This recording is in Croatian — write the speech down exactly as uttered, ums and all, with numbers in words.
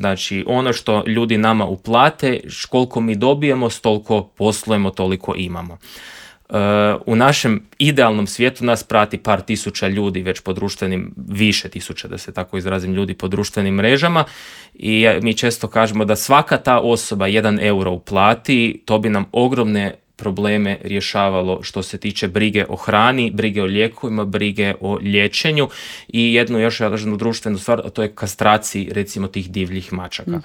Znači, ono što ljudi nama uplate, koliko mi dobijemo, toliko poslujemo, toliko imamo. Uh, u našem idealnom svijetu nas prati par tisuća ljudi već po društvenim, više tisuća da se tako izrazim, ljudi po društvenim mrežama i mi često kažemo da svaka ta osoba jedan euro uplati, to bi nam ogromne probleme rješavalo što se tiče brige o hrani, brige o lijekovima, brige o liječenju i jednu još jednu društvenu stvar, a to je kastraciji recimo tih divljih mačaka. Mm-hmm.